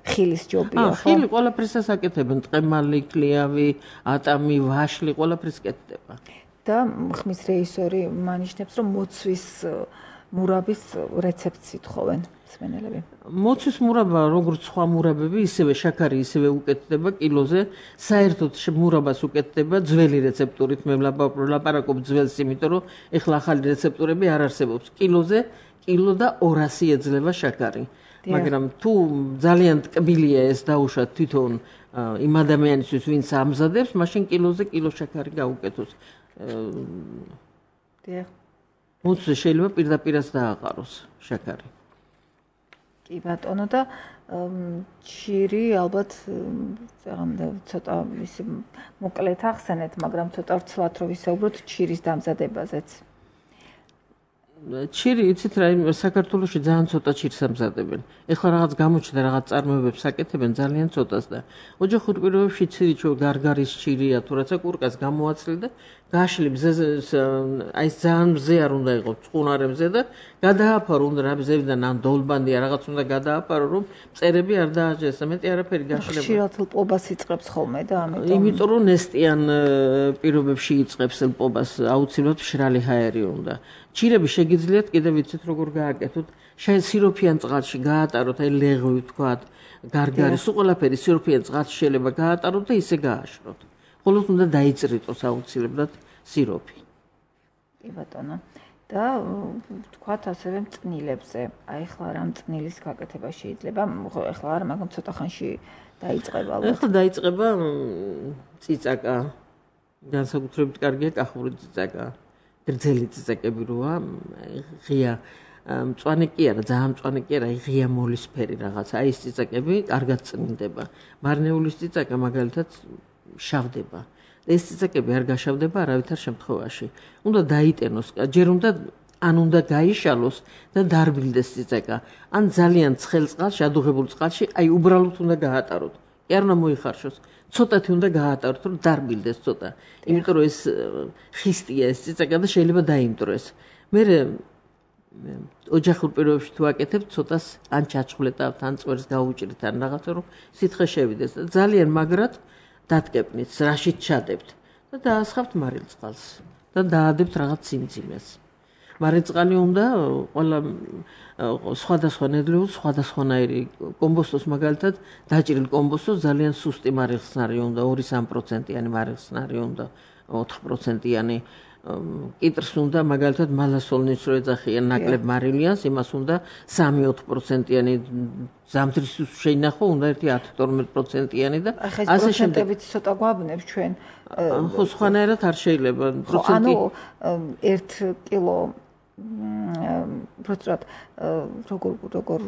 ხილის ჯობია, ხო? აა, ხილი ყველაფრისას აკეთებენ, ტყემალი, კლიავი, ატამი, ვაშლი, ყველაფრის კეთდება. და ხმის რეჟისორი მანიშნებს, რომ მოცვის მურაბის რეცეპტს ითხოვენ მსმენელები. მოცვის მურაბა, როგორც სხვა მურაბები, ისევე შაქარი ისევე უკეთდება კილოზე, საერთოდ მურაბას უკეთდება ძველი რეცეპტურით, მე ვლაპარაკობ ძველს, იმიტომ რომ ეხლა ახალი რეცეპტურები არ არსებობს. კილოზე კილო და ორასი ეძლევა შაქარი. მაგრამ თუ ძალიან ტკბილია ეს დაუშვათ თვითონ იმ ადამიანისთვის, ვინც ამზადებს, მაშინ კილოზე კილო შაქარი გაუკეთოს. დიახ. მოცვზე შეიძლება პირდაპირაც დააყაროს შაქარი. კი ბატონო და ჩირი ალბათ ცოტა ისე მოკლედ ახსენეთ, მაგრამ ცოტა ვრცლად რომ ვისაუბროთ ჩირის დამზადებაზეც. ჩირი, იცით რა, საქართველოში ძალიან ცოტა ჩირს ამზადებენ. ეხლა რაღაც გამოჩნდა, რაღაც წარმოებებს აკეთებენ ძალიან ცოტას და ოჯახურ პირობებში ჩირი ჩო გარგარის ჩირია, თუ რაცა კურკას გამოაცლი და გაშლი მზეზე, აი ეს ძალიან მზე არ უნდა იყოს, წყუნარე მზე და გადააფარო უნდა რა მზევიდან ან დოლბანდია რაღაც უნდა გადააფარო, რომ მწერები არ დააჯეს, მეტი არაფერი გაშლება. ხშირად ლპობას იწყებს ხოლმე და ამიტომ. იმიტომ რომ ნესტიან პირობებში იწყებს ლპობას, აუცილებლად მშრალი ჰაერი უნდა. ჩირები შეგიძლიათ კიდევ ვიცით როგორ გააკეთოთ, შეიძლება სიროფიან წყალში გაატაროთ, აი ლეღვი ვთქვათ, გარგარის, ყველაფერი სიროფიან წყალში შეიძლება გაატაროთ და ისე გააშროთ. ხოლო უნდა დაიწრიტოს აუცილებლად სიროფი. კი ბატონო. და ვთქვათ ასევე მწნილებზე. აი ახლა რა მწნილის გაკეთება შეიძლება? ახლა არა, მაგრამ ცოტა ხანში დაიწყება ალბათ. ახლა დაიწყება წიწაკა. განსაკუთრებით კარგია კახური წიწაკა. გრძელი წიწაკები როა, ღია მწვანე კი არა, ძალიან მწვანე კი არა, ღია მოლისფერი რაღაცა. აი ეს წიწაკები კარგად წნილდება. მარნეულის წიწაკა მაგალითად შავდება. ეს წიწაკები არ გაშავდება არავითარ შემთხვევაში. უნდა დაიტენოს, ჯერ უნდა ან უნდა გაიშალოს და დარბილდეს წიწაკა. ან ძალიან ცხელ წყალში, ადუღებულ წყალში, აი უბრალოდ უნდა გაატაროთ. კი არ უნდა მოიხარშოს. ცოტათი უნდა გაატაროთ, რომ დარბილდეს ცოტა. იმიტომ რომ ეს ხისტია ეს წიწაკა და შეიძლება დაიმტვრეს. მე ოჯახურ პირობებში თუ აკეთებ, ცოტას ან ჩაჩხვლეტავთ, ან წვერს გაუჭრით, ან რაღაცა რომ სითხე შევიდეს და ძალიან მაგრად დატკეპნით, რაშიც ჩადებთ და დაასხავთ მარილწყალს და დაადებთ რაღაც სიმძიმეს. მარილწყალი უნდა ყველა სხვადასხვა ნედლეულს, სხვადასხვანაირი კომბოსტოს მაგალითად დაჭრილ კომბოსტოს ძალიან სუსტი მარილხსნარი უნდა, ორი სამი პროცენტიანი მარილხსნარი უნდა, ოთხ პროცენტიანი კიტრს უნდა მაგალითად მალასოლნის რო ეძახიან ნაკლებ მარილიანს, იმას უნდა სამი ოთხ პროცენტიანი ზამთრის შეინახო, უნდა ერთი ათი თორმეტ პროცენტიანი და ასე შემდეგ. პროცენტებით ცოტა გვაბნებს ჩვენ. ხო, სხვანაირად არ შეიძლება. ანუ ერთ კილო პროცენტად როგორ როგორ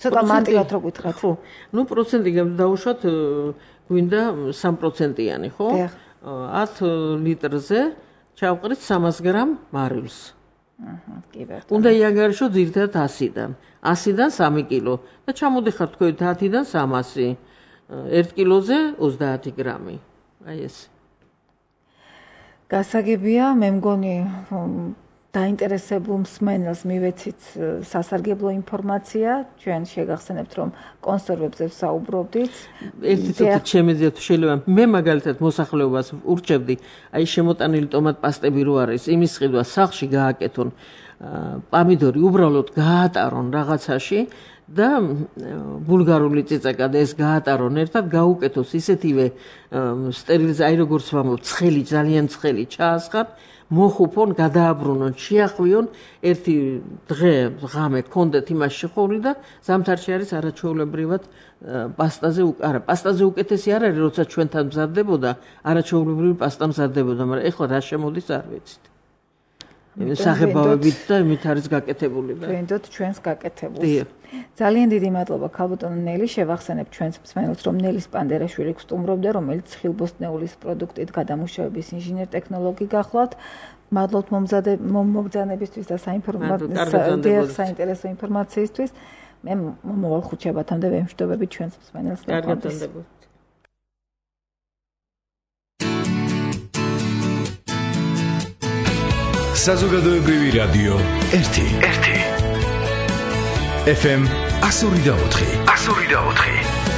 ცოტა მარტივად რო გითხრათ. ხო. ნუ პროცენტი დავუშვათ გვინდა სამი პროცენტიანი, ხო? ათი ლიტრზე ჩავყრით სამას გრამ მარილს. აჰა, კი ბატონო. უნდა იანგარიშო ძირითადად ასიდან. ასიდან სამი კილო და ჩამოდიხარ თქვით ათიდან სამასი. ერთ კილოზე ოცდაათი გრამი. აი ეს. გასაგებია, მე მგონი დაინტერესებულ მსმენელს მივეცით სასარგებლო ინფორმაცია. ჩვენ შეგახსენებთ, რომ კონსერვებზე ვსაუბრობდით. ერთი ცოტა შემეძია თუ შეიძლება. მე მაგალითად მოსახლეობას ურჩევდი, აი შემოტანილი ტომატ პასტები რო არის, იმის ყიდვა სახლში გააკეთონ, პამიდორი უბრალოდ გაატარონ რაღაცაში და ბულგარული წიწაკა და ეს გაატარონ ერთად, გაუკეთოს ისეთივე სტერილიზ, აი როგორც ვამბობ, ცხელი, ძალიან ცხელი ჩაასხათ. მოხუფონ, გადააბრუნონ, შეახვიონ, ერთი დღე, ღამე გქონდეთ იმაში ხოვლი და ზამთარში არის არაჩვეულებრივად პასტაზე, არა, პასტაზე უკეთესი არ არის, როცა ჩვენთან მზადდებოდა, არაჩვეულებრივი პასტა მზადდებოდა, მაგრამ ეხლა რა შემოდის არ ვიცით. საღებავებით და იმით არის გაკეთებული და ვინდოთ ჩვენს გაკეთებულს. ძალიან დიდი მადლობა ქალბატონო ნელი, შევახსენებ ჩვენს მსმენელს, რომ ნელის პანდერაშვილი გსტუმრობდა, რომელიც ხილბოსტნეულის პროდუქტით გადამუშავების ინჟინერ ტექნოლოგი გახლავთ. მადლობთ მომბრძანებისთვის და საინტერესო ინფორმაციისთვის. მე მომავალ ხუთშაბათამდე ვემშვიდობები ჩვენს მსმენელს. კარგად გონდებოდეთ. საზოგადოებრივი რადიო ერთი. ერთი. ეფ ემ one oh four. one oh four.